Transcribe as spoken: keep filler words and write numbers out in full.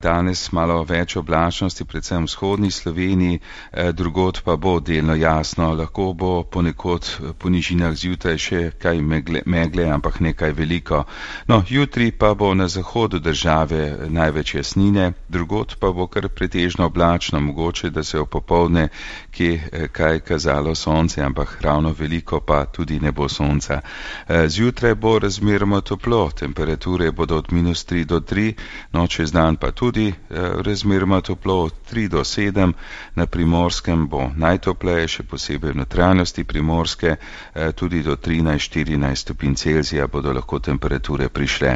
Danes malo več oblačnosti, predvsem v vzhodni Sloveniji, drugod pa bo delno jasno, lahko bo ponekod po nižinah zjutraj še kaj megle, megle, ampak nekaj veliko. No, jutri pa bo na zahodu države največ jasnine, drugod pa bo kar pretežno oblačno, mogoče, da se je popoldne kje kaj kazalo sonce, ampak ravno veliko pa tudi ne bo sonca. Zjutraj bo razmeroma toplo, temperature bodo od minus tri do tri, no čez dan pa tudi. Tudi razmeroma toplo od tri do sedem, na Primorskem bo najtopleje, še posebej v notranjosti Primorske, tudi do trinajst štirinajst stopinj Celzija bodo lahko temperature prišle.